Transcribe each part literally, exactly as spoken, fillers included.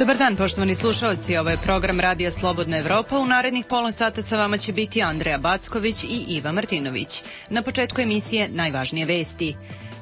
Dobar dan, poštovani slušalci, ovo je program Radija Slobodna Evropa. U narednih pola sata sa vama će biti Andreja Backović i Iva Martinović. Na početku emisije najvažnije vesti.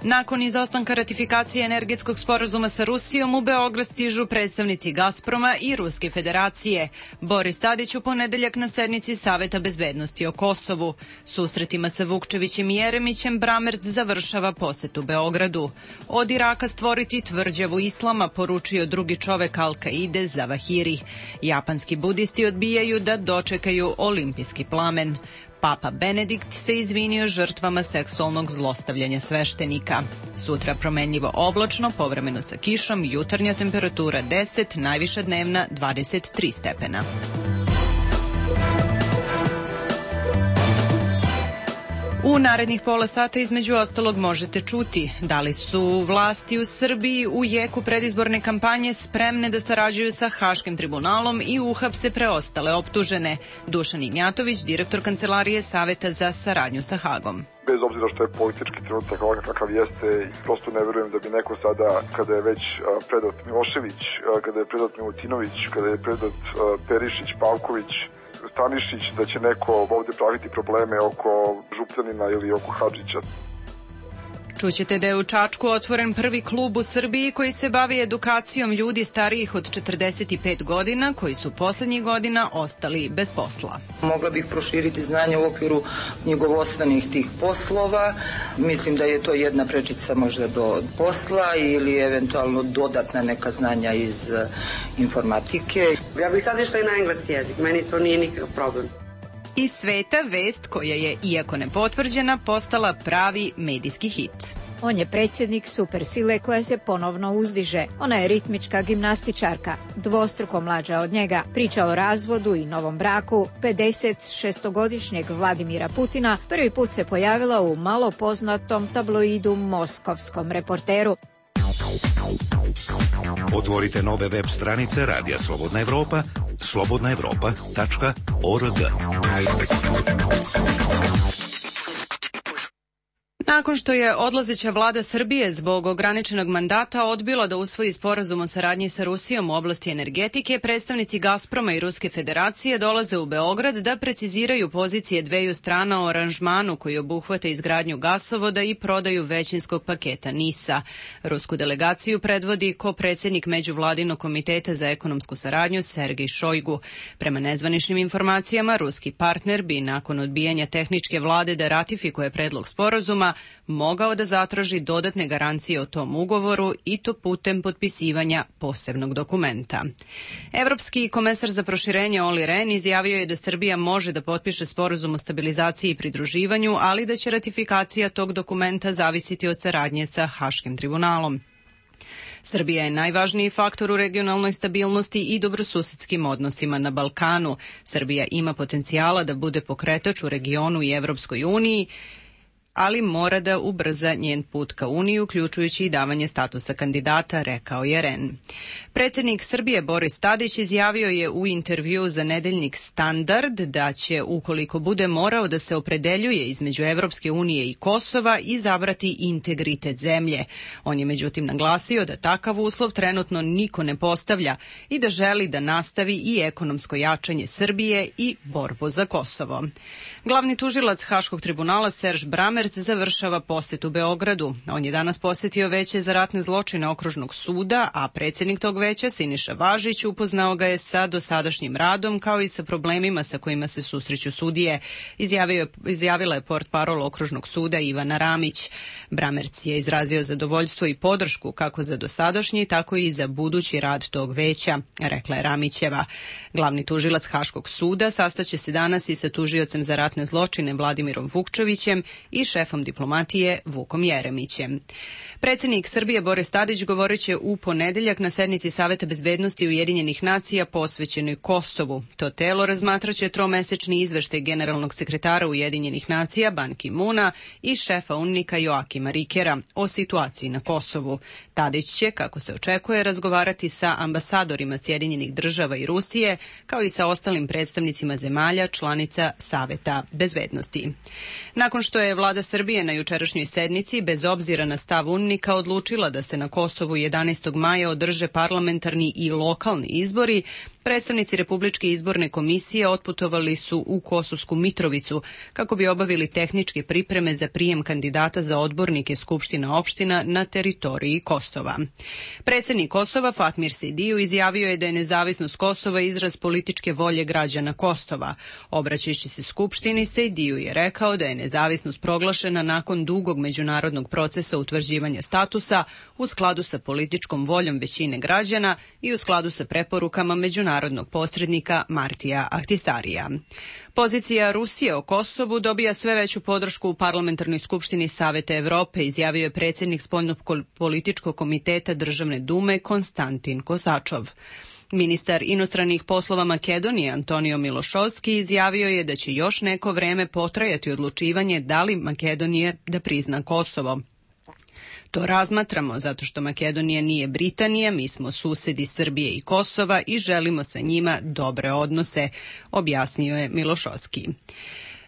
Nakon izostanka ratifikacije energetskog sporazuma sa Rusijom, u Beograd stižu predstavnici Gazproma i Ruske federacije. Boris Tadić u ponedeljak na sednici Saveta bezbednosti o Kosovu. Susretima sa Vukčevićem i Jeremićem Bramerc završava posetu Beogradu. Od Iraka stvoriti tvrđavu islama, poručio drugi čovek Al-Kaide Zavahiri. Japanski budisti odbijaju da dočekaju olimpijski plamen. Papa Benedikt se izvinio žrtvama seksualnog zlostavljanja sveštenika. Sutra promenljivo oblačno, povremeno sa kišom, jutarnja temperatura deset, najviša dnevna dvadeset tri stepena. U narednih pola sata između ostalog možete čuti da li su vlasti u Srbiji u jeku predizborne kampanje spremne da sarađuju sa Haškim tribunalom i uhapse preostale optužene. Dušan Ignjatović, direktor Kancelarije Saveta za saradnju sa Hagom. Bez obzira što je politički trenutak ovakav kakav jeste, prosto ne verujem da bi neko sada, kada je već predat Milošević, kada je predat Milutinović, kada je predat Perišić, Pavković, Stanišić, da će neko ovde praviti probleme oko Župljanina ili oko Hadžića. Čućete da je u Čačku otvoren prvi klub u Srbiji koji se bavi edukacijom ljudi starijih od četrdeset pet godina koji su poslednjih godina ostali bez posla. Mogla bih proširiti znanje u okviru knjigovodstvenih tih poslova. Mislim da je to jedna prečica možda do posla ili eventualno dodatna neka znanja iz informatike. Ja bih sad išla i na engleski jezik, meni to nije nikakav problem. Iz sveta vest koja je, iako nepotvrđena, postala pravi medijski hit. On je predsjednik supersile koja se ponovno uzdiže. Ona je ritmička gimnastičarka, dvostruko mlađa od njega. Priča o razvodu i novom braku pedeset šestogodišnjeg Vladimira Putina prvi put se pojavila u malo poznatom tabloidu Moskovskom reporteru. Otvorite nove web stranice Radija Slobodna Evropa, slobodna evropa tačka org. Nakon što je odlazeća vlada Srbije zbog ograničenog mandata odbila da usvoji sporazum o saradnji sa Rusijom u oblasti energetike, predstavnici Gazproma i Ruske federacije dolaze u Beograd da preciziraju pozicije dveju strana o aranžmanu koji obuhvata izgradnju gasovoda i prodaju većinskog paketa NIS-a. Rusku delegaciju predvodi ko-predsjednik Međuvladinog komiteta za ekonomsku saradnju Sergej Šojgu. Prema nezvaničnim informacijama, ruski partner bi nakon odbijanja tehničke vlade da ratifikuje predlog sporazuma mogao da zatraži dodatne garancije o tom ugovoru i to putem potpisivanja posebnog dokumenta. Evropski komesar za proširenje Olli Rehn izjavio je da Srbija može da potpiše sporazum o stabilizaciji i pridruživanju, ali da će ratifikacija tog dokumenta zavisiti od saradnje sa Haškim tribunalom. Srbija je najvažniji faktor u regionalnoj stabilnosti i dobrosusedskim odnosima na Balkanu. Srbija ima potencijala da bude pokretač u regionu i Evropskoj uniji, ali mora da ubrza njen put ka Uniji, uključujući i davanje statusa kandidata, rekao je Rehn. Predsjednik Srbije Boris Tadić izjavio je u intervju za nedeljnik Standard da će, ukoliko bude morao da se opredeljuje između Evropske unije i Kosova, izabrati integritet zemlje. On je međutim naglasio da takav uslov trenutno niko ne postavlja i da želi da nastavi i ekonomsko jačanje Srbije i borbu za Kosovo. Glavni tužilac Haškog tribunala Serž Bramerc završava posetu Beogradu. On je danas posetio Veće za ratne zločine Okružnog suda, a predsjednik tog veća, Siniša Važić, upoznao ga je sa dosadašnjim radom kao i sa problemima sa kojima se susreću sudije, izjavio, izjavila je portparol Okružnog suda Ivana Ramić. Bramerc je izrazio zadovoljstvo i podršku kako za dosadašnji, tako i za budući rad tog veća, rekla je Ramićeva. Glavni tužilac Haškog suda sastaće se danas i sa tužiocem za ratne zločine Vladimirom Vukčevićem i šefom diplomatije Vukom Jeremićem. Predsjednik Srbije Boris Tadić govorit će u ponedeljak na sednici Saveta bezbednosti Ujedinjenih nacija posvećenoj Kosovu. To telo razmatraće tromesečni izveštaj generalnog sekretara Ujedinjenih nacija Ban Ki-muna i šefa UNMIK-a Joakima Rikera o situaciji na Kosovu. Tadić će, kako se očekuje, razgovarati sa ambasadorima Sjedinjenih država i Rusije, kao i sa ostalim predstavnicima zemalja članica Saveta bezbednosti. Nakon što je vlada vlada Srbije na jučerašnjoj sednici, bez obzira na stav UNMIK-a, odlučila da se na Kosovu jedanaestog maja održe parlamentarni i lokalni izbori, predstavnici Republičke izborne komisije otputovali su u Kosovsku Mitrovicu kako bi obavili tehničke pripreme za prijem kandidata za odbornike Skupština opština na teritoriji Kosova. Predsednik Kosova Fatmir Sejdiju izjavio je da je nezavisnost Kosova izraz političke volje građana Kosova. Obraćajući se Skupštini, Sejdiju je rekao da je nezavisnost proglašena nakon dugog međunarodnog procesa utvrđivanja statusa u skladu sa političkom voljom većine građana i u skladu sa preporukama međunarodnog posrednika Martija Ahtisarija. Pozicija Rusije o Kosovu dobija sve veću podršku u Parlamentarnoj skupštini Saveta Evrope, izjavio je predsjednik Spoljnopolitičkog komiteta Državne dume Konstantin Kosačov. Ministar inostranih poslova Makedonije Antonio Milošovski izjavio je da će još neko vreme potrajati odlučivanje da li Makedonija da prizna Kosovo. To razmatramo zato što Makedonija nije Britanija, mi smo susedi Srbije i Kosova i želimo sa njima dobre odnose, objasnio je Milošovski.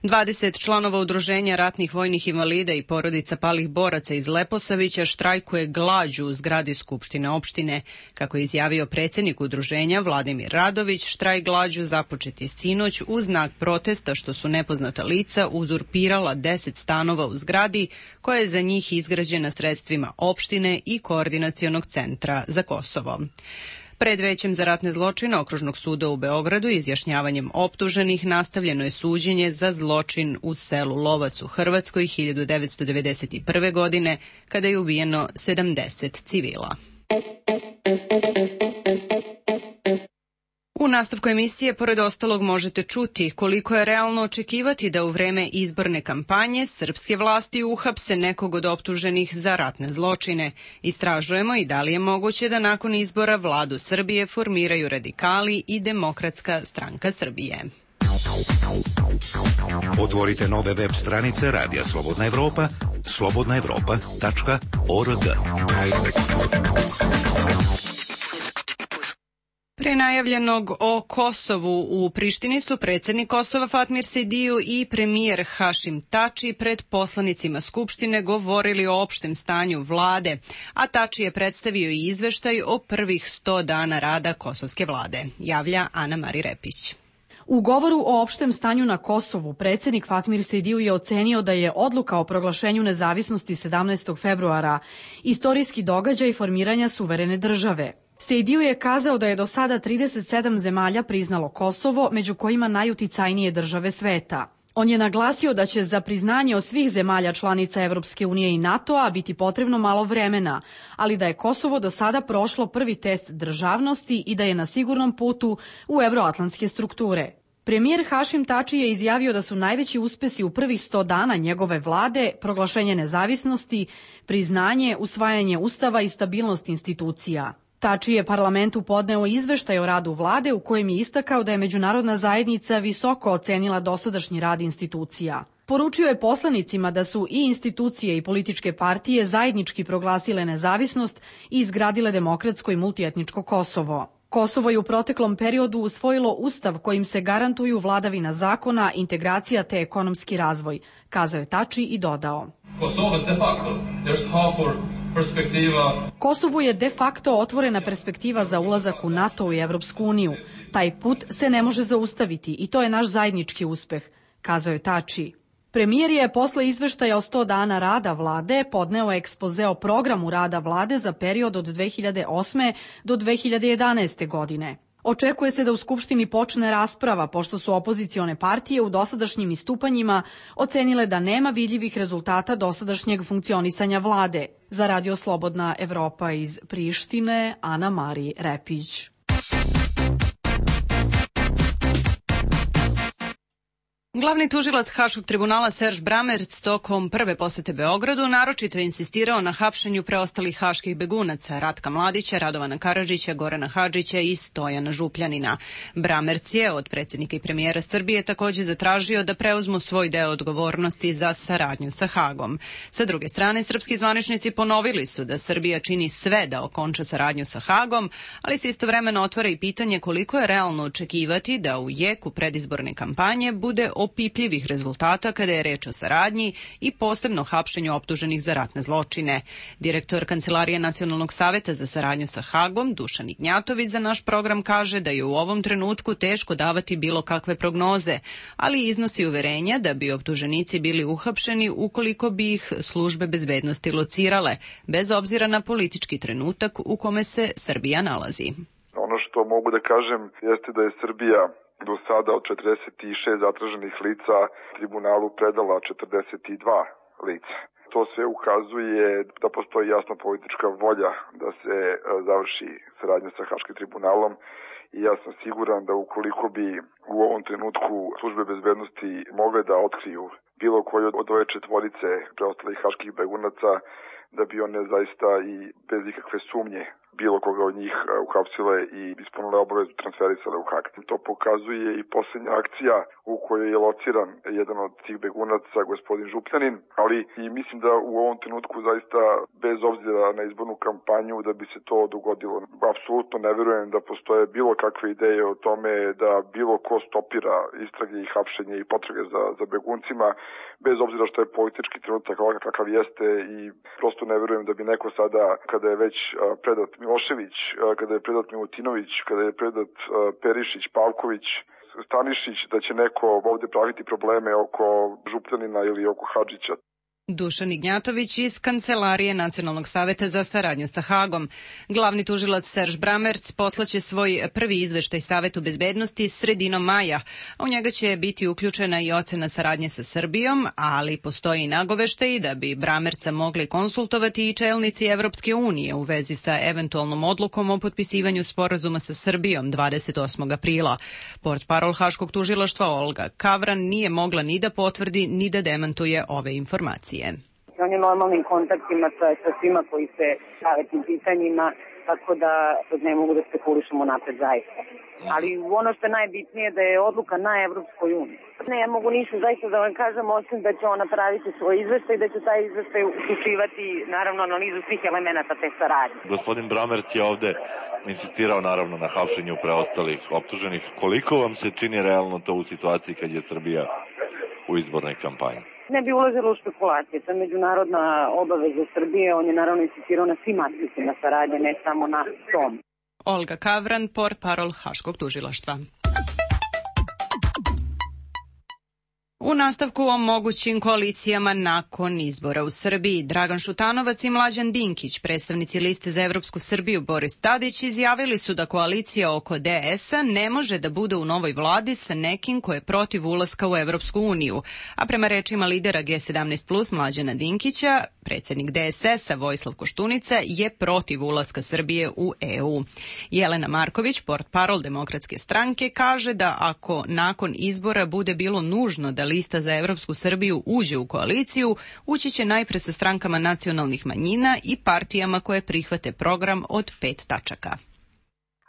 dvadeset članova udruženja ratnih vojnih invalida i porodica palih boraca iz Leposavića štrajkuje glađu u zgradi Skupštine opštine. Kako je izjavio predsjednik udruženja Vladimir Radović, štrajk glađu započet je sinoć u znak protesta što su nepoznata lica uzurpirala deset stanova u zgradi koja je za njih izgrađena sredstvima opštine i Koordinacionog centra za Kosovo. Pred Većem za ratne zločine Okružnog suda u Beogradu izjašnjavanjem optuženih nastavljeno je suđenje za zločin u selu Lovac u Hrvatskoj hiljadu devetsto devedeset prve. godine kada je ubijeno sedamdeset civila. U nastavku emisije, pored ostalog, možete čuti koliko je realno očekivati da u vreme izborne kampanje srpske vlasti uhapse nekog od optuženih za ratne zločine. Istražujemo i da li je moguće da nakon izbora vladu Srbije formiraju radikali i Demokratska stranka Srbije. Otvorite nove web stranice Radija Slobodna Evropa, slobodna evropa tačka org. Pre najavljenog o Kosovu u Prištini su predsjednik Kosova Fatmir Sejdiju i premijer Hašim Tači pred poslanicima Skupštine govorili o opštem stanju vlade, a Tači je predstavio i izveštaj o prvih sto dana rada kosovske vlade, javlja Ana Mari Repić. U govoru o opštem stanju na Kosovu, predsjednik Fatmir Sejdiju je ocenio da je odluka o proglašenju nezavisnosti sedamnaestog februara istorijski događaj formiranja suverene države. Sejdiju je kazao da je do sada trideset sedam zemalja priznalo Kosovo, među kojima najuticajnije države sveta. On je naglasio da će za priznanje od svih zemalja članica Evropske unije i NATO-a biti potrebno malo vremena, ali da je Kosovo do sada prošlo prvi test državnosti i da je na sigurnom putu u evroatlantske strukture. Premijer Hašim Tači je izjavio da su najveći uspesi u prvih sto dana njegove vlade proglašenje nezavisnosti, priznanje, usvajanje ustava i stabilnost institucija. Tači je parlamentu podneo izveštaj o radu vlade u kojem je istakao da je međunarodna zajednica visoko ocenila dosadašnji rad institucija. Poručio je poslanicima da su i institucije i političke partije zajednički proglasile nezavisnost i izgradile demokratsko i multietničko Kosovo. Kosovo je u proteklom periodu usvojilo ustav kojim se garantuju vladavina zakona, integracija te ekonomski razvoj, kazao je Tači i dodao. Kosovo de facto, there's hope perspektiva. Kosovu je de facto otvorena perspektiva za ulazak u NATO i Evropsku uniju. Taj put se ne može zaustaviti i to je naš zajednički uspeh, kazao je Tači. Premijer je posle izveštaja o sto dana rada vlade podneo ekspoze o programu rada vlade za period od dve hiljade osme do dve hiljade jedanaeste. godine. Očekuje se da u Skupštini počne rasprava, pošto su opozicione partije u dosadašnjim istupanjima ocenile da nema vidljivih rezultata dosadašnjeg funkcionisanja vlade. Za Radio Slobodna Evropa iz Prištine, Ana Mari Repić. Glavni tužilac Haškog tribunala Serž Bramerc tokom prve posete Beogradu naročito je insistirao na hapšenju preostalih haških begunaca Ratka Mladića, Radovana Karadžića, Gorana Hadžića i Stojana Župljanina. Bramerc je od predsjednika i premijera Srbije također zatražio da preuzmu svoj deo odgovornosti za saradnju sa Hagom. Sa druge strane, srpski zvaničnici ponovili su da Srbija čini sve da okonča saradnju sa Hagom, ali se istovremeno otvara i pitanje koliko je realno očekivati da u jeku predizborne kampanje bude opipljivih rezultata kada je reč o saradnji i posebno hapšenju optuženih za ratne zločine. Direktor Kancelarije Nacionalnog saveta za saradnju sa Hagom, Dušan Ignjatović, za naš program kaže da je u ovom trenutku teško davati bilo kakve prognoze, ali iznosi uverenja da bi optuženici bili uhapšeni ukoliko bi ih službe bezbednosti locirale, bez obzira na politički trenutak u kome se Srbija nalazi. Ono što mogu da kažem jeste da je Srbija do sada od četrdeset šest zatraženih lica tribunalu predala četrdeset dva lica. To sve ukazuje da postoji jasna politička volja da se završi saradnja sa Haškim tribunalom i ja sam siguran da ukoliko bi u ovom trenutku službe bezbednosti mogle da otkriju bilo koju od ove četvorice preostalih haških begunaca, da bi one zaista i bez ikakve sumnje bilo koga od njih uhapsile i ispunile obavezu transferisale u Hag. To pokazuje i posljednja akcija u kojoj je lociran jedan od tih begunaca, gospodin Župljanin, ali i mislim da u ovom trenutku zaista bez obzira na izbornu kampanju da bi se to dogodilo. Apsolutno ne verujem da postoje bilo kakve ideje o tome da bilo ko stopira istrage i hapšenje i potrage za, za beguncima, bez obzira što je politički trenutak ovakav kakav jeste i prosto ne verujem da bi neko sada, kada je već predat Milošević, kada je predat Milutinović, kada je predat Perišić, Pavković, Stanišić, da će neko ovdje praviti probleme oko Župljanina ili oko Hadžića. Dušan Ignjatović iz Kancelarije Nacionalnog saveta za saradnju sa Hagom. Glavni tužilac Serž Bramerc poslaće svoj prvi izveštaj Savetu bezbednosti sredinom maja. U njega će biti uključena i ocena saradnje sa Srbijom, ali postoji nagoveštaj da bi Bramerca mogli konsultovati i čelnici Evropske unije u vezi sa eventualnom odlukom o potpisivanju sporazuma sa Srbijom dvadeset osmog aprila. Portparol Haškog tužilaštva Olga Kavran nije mogla ni da potvrdi ni da demantuje ove informacije. On je normalnim kontaktima sa, sa svima koji se bave tim pitanjima, tako da ne mogu da spekulišemo napred zaista. Ali ono što je najbitnije da je odluka na Evropskoj uniji. Ne, ja mogu ništa zaista da vam kažem, osim da će on napraviti svoj izveštaj i da će taj izveštaj uključivati naravno analizu svih elemenata te saradnje. Gospodin Bramerc je ovde insistirao naravno na hapšenju preostalih optuženih. Koliko vam se čini realno to u situaciji kad je Srbija u izbornoj kampanji? Ne bi ulazilo u špekulacije, to je međunarodna obaveza Srbije, on je naravno insistirao na svim aspektima saradnje, ne samo na tom. Olga Kavran, portparol Haškog tužilaštva. U nastavku o mogućim koalicijama nakon izbora u Srbiji, Dragan Šutanovac i Mlađan Dinkić, predstavnici liste za Evropsku Srbiju Boris Tadić, izjavili su da koalicija oko D S-a ne može da bude u novoj vladi sa nekim ko je protiv ulaska u Evropsku uniju. A prema rečima lidera G sedamnaest plus Mlađana Dinkića, predsjednik D S S-a Vojislav Koštunica je protiv ulaska Srbije u E U. Jelena Marković, portparol Demokratske stranke, kaže da ako nakon izbora bude bilo nužno da lista za Evropsku Srbiju uđe u koaliciju, ući će najpre sa strankama nacionalnih manjina i partijama koje prihvate program od pet tačaka.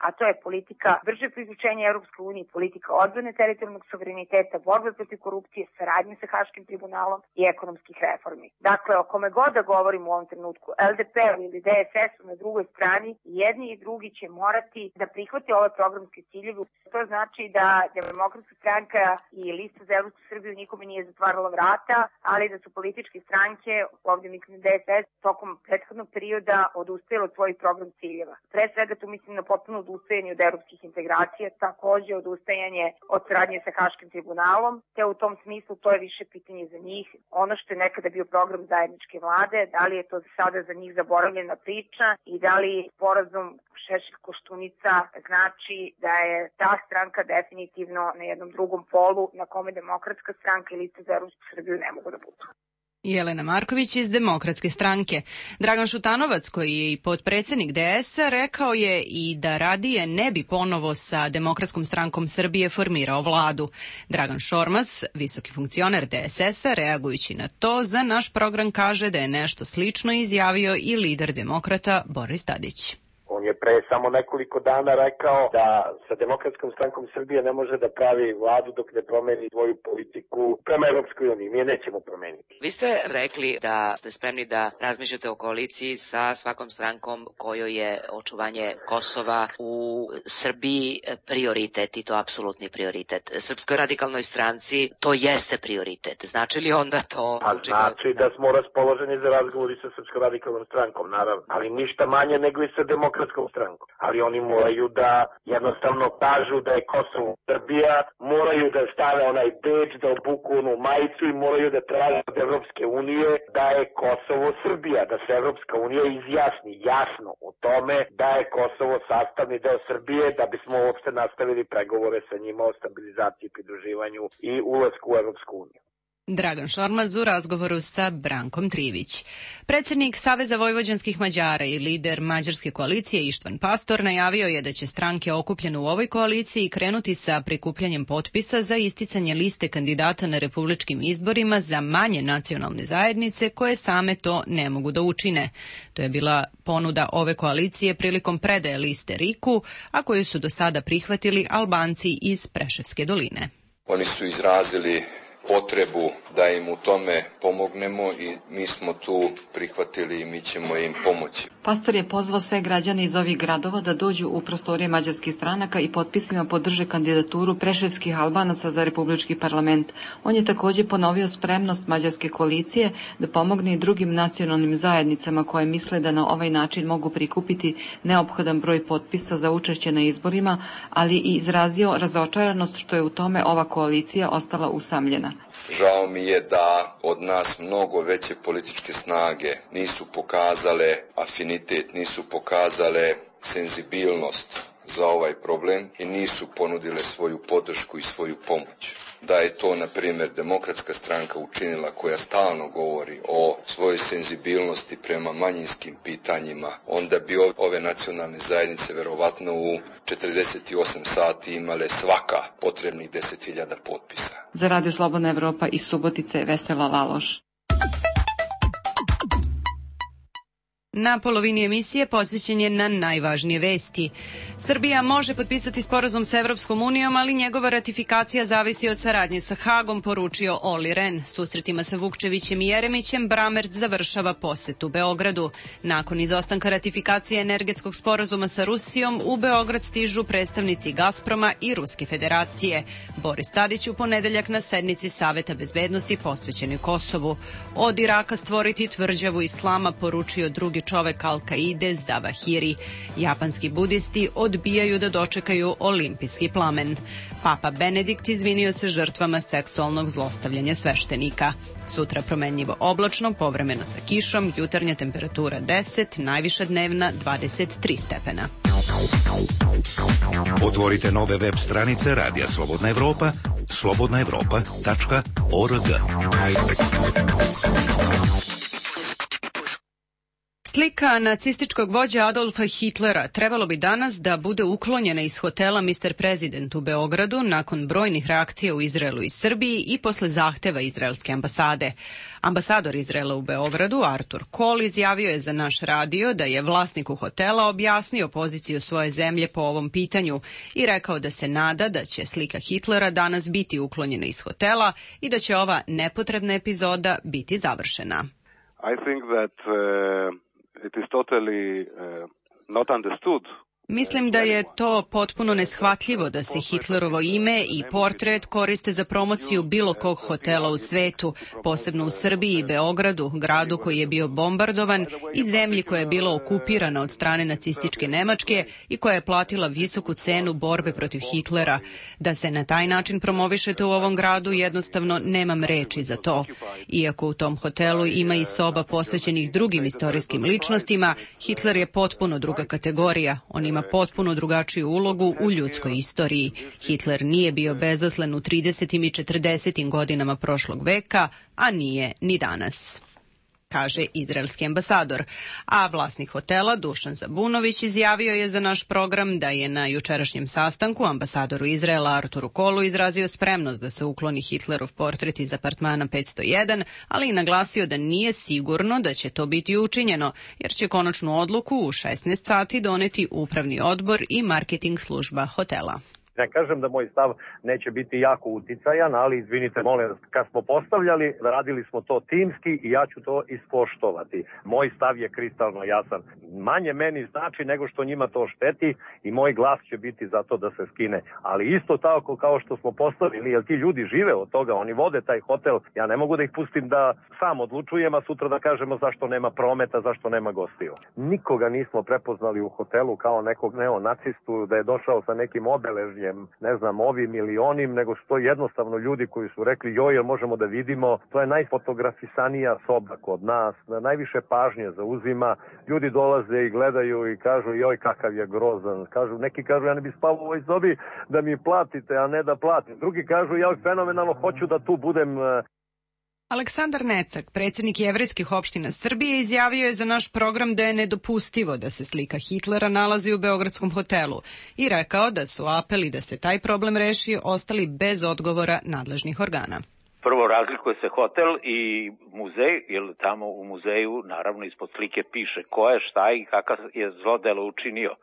A to je politika brže priključenja Europskoj uniji, politika odbrane teritorijalnog suvereniteta, borbe protiv korupcije, saradnje sa Haškim tribunalom i ekonomskih reformi. Dakle, o kome god da govorimo u ovom trenutku, L D P-u ili D S S-u na drugoj strani, jedni i drugi će morati da prihvate ove programske ciljeve. To znači da Demokratska stranka i lista za Evropsku Srbiju nikome nije zatvarala vrata, ali da su političke stranke, ovdje mislim D S S, tokom prethodnog perioda odustajale od svojih program ciljeva. Pre svega tu mislim na potpuno odustajanje od evropskih integracija, takođe odustajanje od saradnje sa Haškim tribunalom, te u tom smislu to je više pitanje za njih. Ono što je nekada bio program zajedničke vlade, da li je to sada za njih zaboravljena priča i da li sporazum Šešelj-Koštunica znači da je ta stranka definitivno na jednom drugom polu na kome Demokratska stranka i lista za Evropsku Srbiju ne mogu da budu. Jelena Marković iz Demokratske stranke. Dragan Šutanovac, koji je i potpredsjednik D S-a, rekao je i da radije ne bi ponovo sa Demokratskom strankom Srbije formirao vladu. Dragan Šormaz, visoki funkcioner D S S-a, reagujući na to, za naš program kaže da je nešto slično izjavio i lider demokrata Boris Tadić. On On je pre samo nekoliko dana rekao da sa Demokratskom strankom Srbije ne može da pravi vladu dok ne promeni svoju politiku prema Evropskoj uniji. Mi je nećemo promeniti. Vi ste rekli da ste spremni da razmišljate o koaliciji sa svakom strankom kojoj je očuvanje Kosova u Srbiji prioritet i to apsolutni prioritet. Srpskoj radikalnoj stranci to jeste prioritet. Znači li onda to... A znači da smo raspoloženi za razgovori sa Srpskom radikalnom strankom, naravno. Ali ništa manje nego i sa Demokratskom strankom. Ali oni moraju da jednostavno kažu da je Kosovo Srbija, moraju da stave onaj beč, da obuku onu majicu i moraju da traže od Evropske unije da je Kosovo Srbija, da se Evropska unija izjasni jasno o tome da je Kosovo sastavni deo Srbije, da bismo uopšte nastavili pregovore sa njima o stabilizaciji, pridruživanju i ulasku u Evropsku uniju. Dragan Šormaz u razgovoru sa Brankom Trivić. Predsjednik Saveza vojvođanskih Mađara i lider mađarske koalicije Ištvan Pastor najavio je da će stranke okupljene u ovoj koaliciji krenuti sa prikupljanjem potpisa za isticanje liste kandidata na republičkim izborima za manje nacionalne zajednice koje same to ne mogu da učine. To je bila ponuda ove koalicije prilikom predaje liste Riku, a koju su do sada prihvatili Albanci iz Preševske doline. Oni su izrazili potrebu da im u tome pomognemo i mi smo tu prihvatili i mi ćemo im pomoći. Pastor je pozvao sve građane iz ovih gradova da dođu u prostorije mađarskih stranaka i potpisima podrže kandidaturu preševskih Albanaca za republički parlament. On je također ponovio spremnost mađarske koalicije da pomogne i drugim nacionalnim zajednicama koje misle da na ovaj način mogu prikupiti neophodan broj potpisa za učešće na izborima, ali i izrazio razočaranost što je u tome ova koalicija ostala usamljena. Žao mi je da od nas mnogo veće političke snage nisu pokazale afinitet, nisu pokazale senzibilnost za ovaj problem i nisu ponudile svoju podršku i svoju pomoć. Da je to, na primjer, Demokratska stranka učinila, koja stalno govori o svojoj senzibilnosti prema manjinskim pitanjima, onda bi ove nacionalne zajednice verovatno u četrdeset osam sati imale svaka potrebnih deset hiljada potpisa. Za Radio Slobodna Evropa iz Subotice, Vesela Laloš. Na polovini emisije posvećen je na najvažnije vesti. Srbija može potpisati sporazum sa Evropskom unijom, ali njegova ratifikacija zavisi od saradnje sa Hagom, poručio Olli Rehn. Susretima sa Vukčevićem i Jeremićem Brammertz završava posetu Beogradu. Nakon izostanka ratifikacije energetskog sporazuma sa Rusijom, u Beograd stižu predstavnici Gazproma i Ruske federacije. Boris Tadić u ponedeljak na sednici Saveta bezbednosti posvećenoj Kosovu. Od Iraka stvoriti tvrđavu islama, poručio drugi čovek Al-Kaide Zawahiri. Japanski budisti odbijaju da dočekaju olimpijski plamen. Papa Benedikt izvinio se žrtvama seksualnog zlostavljanja sveštenika. Sutra promenljivo oblačno, povremeno sa kišom, jutarnja temperatura deset, najviša dnevna dvadeset tri stepena. Otvorite nove web stranice Radija Slobodna Evropa, slobodna evropa tačka org. Slika nacističkog vođe Adolfa Hitlera trebalo bi danas da bude uklonjena iz hotela mister President u Beogradu nakon brojnih reakcija u Izraelu i Srbiji i posle zahteva izraelske ambasade. Ambasador Izraela u Beogradu, Artur Kol, izjavio je za naš radio da je vlasniku hotela objasnio poziciju svoje zemlje po ovom pitanju i rekao da se nada da će slika Hitlera danas biti uklonjena iz hotela i da će ova nepotrebna epizoda biti završena. I think that uh... it is totally uh, not understood. Mislim da je to potpuno neshvatljivo da se Hitlerovo ime i portret koriste za promociju bilo kog hotela u svetu, posebno u Srbiji i Beogradu, gradu koji je bio bombardovan i zemlji koja je bila okupirana od strane nacističke Nemačke i koja je platila visoku cenu borbe protiv Hitlera. Da se na taj način promovišete u ovom gradu, jednostavno nemam reči za to. Iako u tom hotelu ima i soba posvećenih drugim istorijskim ličnostima, Hitler je potpuno druga kategorija. On ima potpuno drugačiju ulogu u ljudskoj istoriji. Hitler nije bio bezazlen u tridesetim i četrdesetim godinama prošlog veka, a nije ni danas. kaže izraelski ambasador. A vlasnik hotela Dušan Zabunović izjavio je za naš program da je na jučerašnjem sastanku ambasadoru Izraela Arturu Kolu izrazio spremnost da se ukloni Hitlerov portret iz apartmana petsto jedan, ali i naglasio da nije sigurno da će to biti učinjeno, jer će konačnu odluku u šesnaest sati doneti upravni odbor i marketing služba hotela. Ne kažem da moj stav neće biti jako uticajan, ali izvinite, molim, kad smo postavljali, radili smo to timski i ja ću to ispoštovati. Moj stav je kristalno jasan. Manje meni znači nego što njima to šteti i moj glas će biti za to da se skine. Ali isto tako kao što smo postavili, jer ti ljudi žive od toga, oni vode taj hotel, ja ne mogu da ih pustim da sam odlučujem, a sutra da kažemo zašto nema prometa, zašto nema gostiju. Nikoga nismo prepoznali u hotelu kao nekog neonacistu, da je došao sa nekim obeležnjem, ne znam, ovim ili onim, nego što jednostavno ljudi koji su rekli joj, jel možemo da vidimo, to je najfotografisanija soba kod nas, najviše pažnje zauzima, ljudi dolaze i gledaju i kažu joj kakav je grozan, kažu, neki kažu ja ne bi spavao u ovoj sobi da mi platite, a ne da platim, drugi kažu ja fenomenalno hoću da tu budem. Aleksandar Necak, predsjednik jevrejskih opština Srbije, izjavio je za naš program da je nedopustivo da se slika Hitlera nalazi u beogradskom hotelu i rekao da su apeli da se taj problem reši ostali bez odgovora nadležnih organa. Prvo, razlikuje se hotel i muzej, jer tamo u muzeju naravno ispod slike piše ko je, šta i kakav je zlodelo učinio.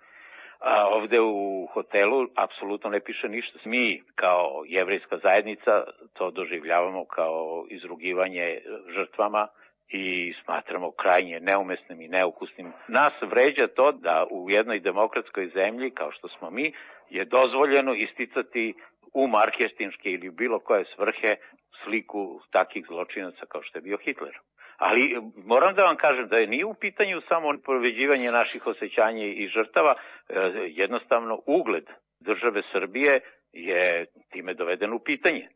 A ovde u hotelu apsolutno ne piše ništa. Mi kao jevrejska zajednica to doživljavamo kao izrugivanje žrtvama i smatramo krajnje neumesnim i neukusnim. Nas vređa to da u jednoj demokratskoj zemlji, kao što smo mi, je dozvoljeno isticati u marketinške ili bilo koje svrhe sliku takih zločinaca kao što je bio Hitler. Ali moram da vam kažem da je nije u pitanju samo povređivanje naših osjećanja i žrtava, jednostavno ugled države Srbije je time doveden u pitanje.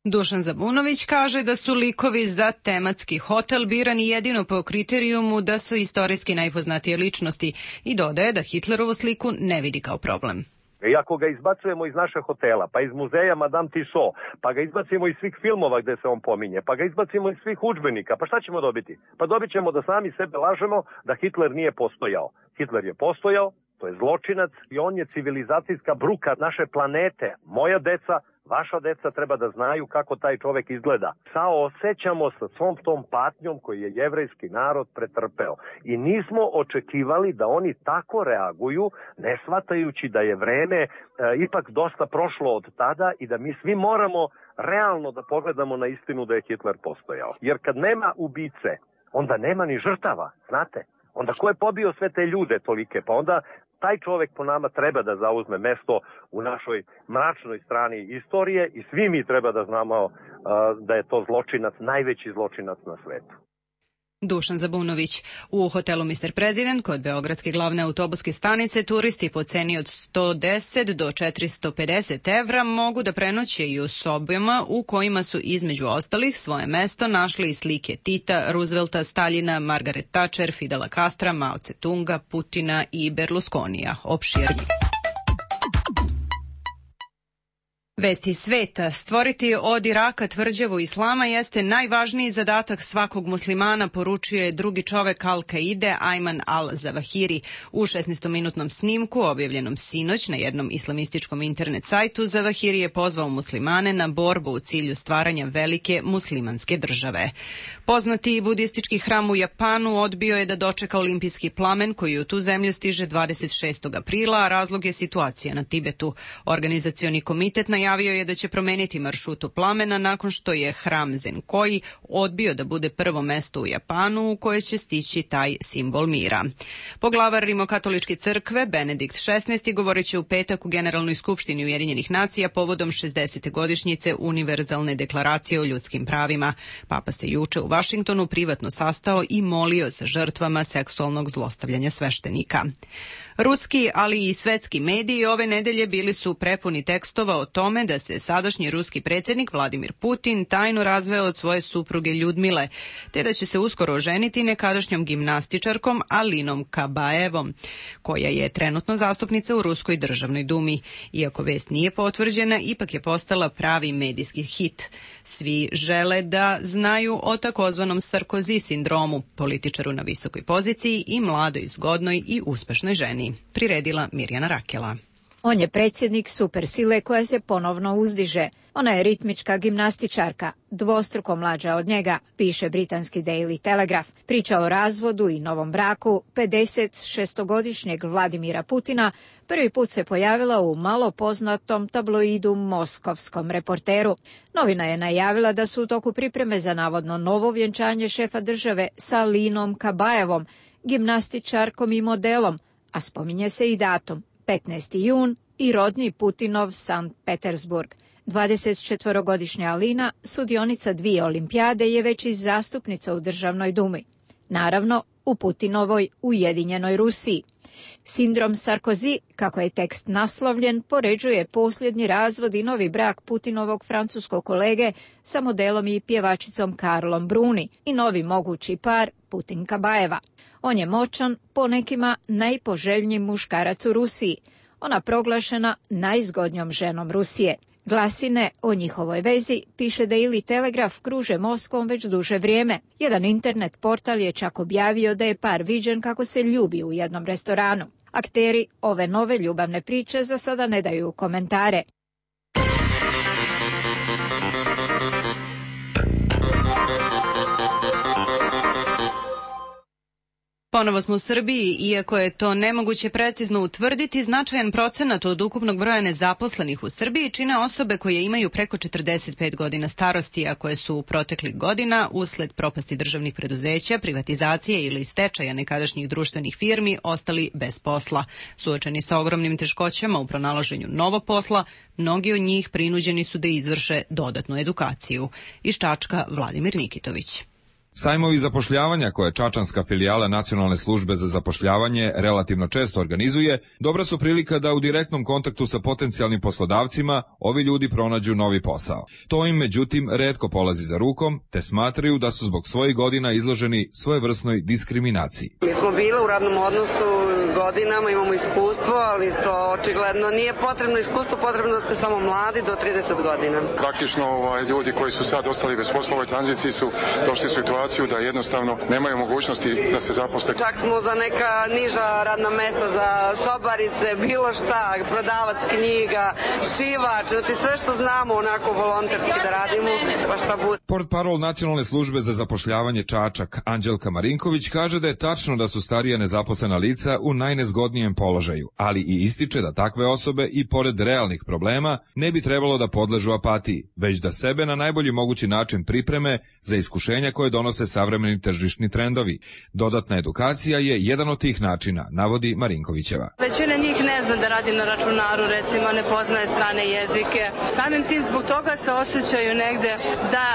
Dušan Zabunović kaže da su likovi za tematski hotel birani jedino po kriterijumu da su istorijski najpoznatije ličnosti i dodaje da Hitlerovu sliku ne vidi kao problem. I ako ga izbacujemo iz naše hotela, pa iz muzeja Madame Tussauds, pa ga izbacimo iz svih filmova gde se on pominje, pa ga izbacimo iz svih udžbenika, pa šta ćemo dobiti? Pa dobit ćemo da sami sebe lažemo da Hitler nije postojao. Hitler je postojao, to je zločinac i on je civilizacijska bruka naše planete. Moja deca, vaša deca treba da znaju kako taj čovek izgleda. Saosećamo sa svom tom patnjom koju je jevrejski narod pretrpeo. I nismo očekivali da oni tako reaguju, ne shvatajući da je vreme e, ipak dosta prošlo od tada i da mi svi moramo realno da pogledamo na istinu da je Hitler postojao. Jer kad nema ubice, onda nema ni žrtava, znate? Onda ko je pobio sve te ljude tolike? Pa onda taj čovek po nama treba da zauzme mesto u našoj mračnoj strani istorije i svi mi treba da znamo uh, da je to zločinac, najveći zločinac na svetu. Dušan Zabunović. U hotelu mister President kod beogradske glavne autobuske stanice turisti po ceni od sto deset do četiristo pedeset evra mogu da prenoće i u sobama u kojima su između ostalih svoje mesto našli i slike Tita, Roosevelta, Staljina, Margaret Thatcher, Fidela Castra, Mao Tse-tunga, Putina i Berlusconija. Opširni. Vesti sveta. Stvoriti od Iraka tvrđavu islama jeste najvažniji zadatak svakog muslimana, poručio je drugi čovek Al-Kaide, Ayman al-Zawahiri. U šesnaestominutnom snimku, objavljenom sinoć na jednom islamističkom internet sajtu, Zawahiri je pozvao muslimane na borbu u cilju stvaranja velike muslimanske države. Poznati budistički hram u Japanu odbio je da dočeka olimpijski plamen koji u tu zemlju stiže dvadeset šestog aprila, a razlog je situacija na Tibetu. Organizacioni komitet na Najavio je da će promeniti maršrutu plamena nakon što je hram Zenkoi odbio da bude prvo mesto u Japanu u koje će stići taj simbol mira. Poglavar Rimokatoličke crkve Benedikt šesnaesti govoreći u petak u Generalnoj skupštini Ujedinjenih nacija povodom šezdesete godišnjice Univerzalne deklaracije o ljudskim pravima. Papa se juče u Vašingtonu privatno sastao i molio za žrtvama seksualnog zlostavljanja sveštenika. Ruski, ali i svetski mediji ove nedelje bili su prepuni tekstova o tome tome da se sadašnji ruski predsjednik Vladimir Putin tajno razveo od svoje supruge Ljudmile, te da će se uskoro oženiti nekadašnjom gimnastičarkom Alinom Kabaevom, koja je trenutno zastupnica u Ruskoj državnoj dumi. Iako vest nije potvrđena, ipak je postala pravi medijski hit. Svi žele da znaju o takozvanom Sarkozy sindromu, političaru na visokoj poziciji i mladoj, zgodnoj i uspešnoj ženi, priredila Mirjana Rakela. On je predsjednik supersile koja se ponovno uzdiže. Ona je ritmička gimnastičarka, dvostruko mlađa od njega, piše britanski Daily Telegraph. Priča o razvodu i novom braku pedeset šestogodišnjeg Vladimira Putina prvi put se pojavila u malo poznatom tabloidu Moskovskom Reporteru. Novina je najavila da su u toku pripreme za navodno novo vjenčanje šefa države sa Alinom Kabaevom, gimnastičarkom i modelom, a spominje se i datum, petnaesti jun i rodni Putinov Sankt Petersburg. dvadesetčetvorogodišnja Alina, sudionica dvije olimpijade, je već i zastupnica u državnoj dumi. Naravno, u Putinovoj Ujedinjenoj Rusiji. Sindrom Sarkozy, kako je tekst naslovljen, poređuje posljednji razvod i novi brak Putinovog francuskog kolege sa modelom i pjevačicom Karlom Bruni i novi mogući par Putin Kabaeva. On je moćan, po nekima najpoželjniji muškarac u Rusiji. Ona proglašena najzgodnjom ženom Rusije. Glasine o njihovoj vezi, piše Daily Telegraph, kruže Moskvom već duže vrijeme. Jedan internet portal je čak objavio da je par viđen kako se ljubi u jednom restoranu. Akteri ove nove ljubavne priče za sada ne daju komentare. Ponovo smo u Srbiji, iako je to nemoguće precizno utvrditi, značajan procenat od ukupnog broja nezaposlenih u Srbiji čine osobe koje imaju preko četrdeset pet godina starosti, a koje su u proteklih godina, usled propasti državnih preduzeća, privatizacije ili stečaja nekadašnjih društvenih firmi, ostali bez posla. Suočeni sa ogromnim teškoćama u pronalaženju novog posla, mnogi od njih prinuđeni su da izvrše dodatnu edukaciju. Iz Čačka, Vladimir Nikitović. Sajmovi zapošljavanja koje čačanska filijala Nacionalne službe za zapošljavanje relativno često organizuje, dobra su prilika da u direktnom kontaktu sa potencijalnim poslodavcima ovi ljudi pronađu novi posao. To im međutim retko polazi za rukom, te smatraju da su zbog svojih godina izloženi svojevrsnoj diskriminaciji. Mi smo bili u radnom odnosu godinama, imamo iskustvo, ali to očigledno nije potrebno iskustvo, potrebno da ste samo mladi do trideset godina. Praktično ovaj, ljudi koji su sad ostali bez posla u ovoj tranziciji su došli u situaciju da jednostavno nemaju mogućnosti da se zaposle. Čak smo za neka niža radna mesta, za sobarice, bilo šta, prodavac knjiga, šivač, znači sve što znamo onako volonterski da radimo, pa šta bude. Portparol Nacionalne službe za zapošljavanje Čačak, Anđelka Marinković, kaže da je tačno da su starija nezaposlena lica u najnezgodnijem položaju, ali i ističe da takve osobe i pored realnih problema ne bi trebalo da podležu apatiji, već da sebe na najbolji mogući način pripreme za iskušenja koje donose savremeni tržišni trendovi. Dodatna edukacija je jedan od tih načina, navodi Marinkovićeva. Većina njih ne zna da radi na računaru, recimo ne poznaje strane jezike. Samim tim zbog toga se osjećaju negde da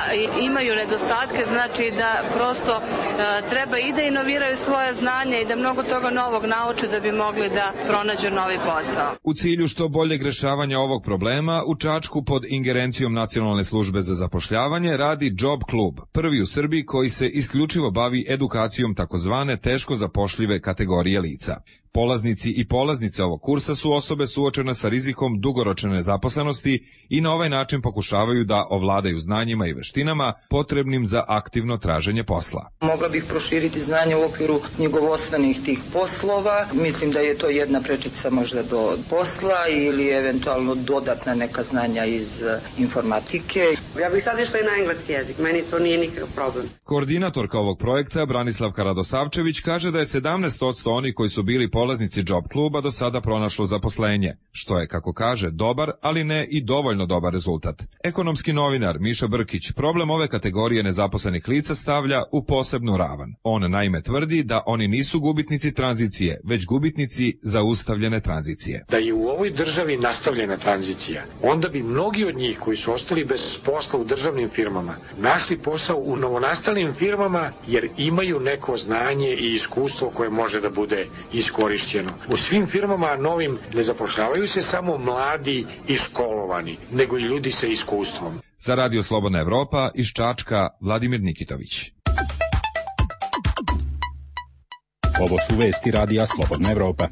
imaju nedostatke, znači da prosto e, treba i da inoviraju svoje znanje i da mnogo toga novog nauče da bi mogli da pronađu novi posao. U cilju što boljeg rešavanja ovog problema, u Čačku pod ingerencijom Nacionalne službe za zapošljavanje radi Job klub, prvi u Srbiji koji se isključivo bavi edukacijom takozvane teško zapošljive kategorije lica. Polaznici i polaznice ovog kursa su osobe suočene sa rizikom dugoročne nezaposlenosti i na ovaj način pokušavaju da ovladaju znanjima i veštinama potrebnim za aktivno traženje posla. Mogla bih proširiti znanje u okviru knjigovodstvenih tih poslova. Mislim da je to jedna prečica možda do posla ili eventualno dodatna neka znanja iz informatike. Ja bih sad išla i na engleski jezik, meni to nije nikakav problem. Koordinatorka ovog projekta Branislavka Radosavčević kaže da je sedamnaest posto oni koji su bili polaznici Job kluba do sada pronašlo zaposlenje, što je, kako kaže, dobar, ali ne i dovoljno dobar rezultat. Ekonomski novinar Miša Brkić problem ove kategorije nezaposlenih lica stavlja u posebnu ravan. On naime tvrdi da oni nisu gubitnici tranzicije, već gubitnici zaustavljene tranzicije. Da je u ovoj državi nastavljena tranzicija, onda bi mnogi od njih koji su ostali bez posla u državnim firmama našli posao u novonastalim firmama jer imaju neko znanje i iskustvo koje može da bude iskorišteno iskorišćeno. U svim firmama novim ne zapošljavaju se samo mladi i školovani, nego i ljudi sa iskustvom. Za Radio Slobodna Evropa iz Čačka Vladimir Nikitović. Ovo su vesti Radija Slobodna Evropa.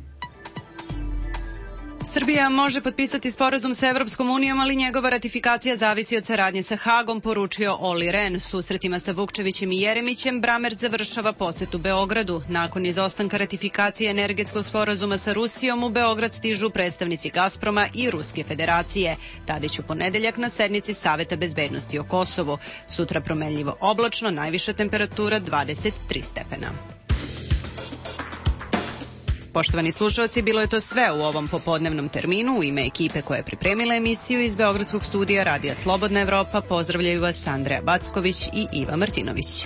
Srbija može potpisati sporazum sa Evropskom unijom, ali njegova ratifikacija zavisi od saradnje sa Hagom, poručio Oli Ren. Susretima sa Vukčevićem i Jeremićem Bramert završava posetu Beogradu. Nakon izostanka ratifikacije energetskog sporazuma sa Rusijom, u Beograd stižu predstavnici Gazproma i Ruske federacije. Tadić u ponedeljak na sednici Saveta bezbednosti o Kosovu. Sutra promenljivo oblačno, najviša temperatura dvadeset tri stepena. Poštovani slušalci, bilo je to sve u ovom popodnevnom terminu. U ime ekipe koja je pripremila emisiju iz Beogradskog studija Radija Slobodna Evropa pozdravljaju vas Andreja Backović i Iva Martinović.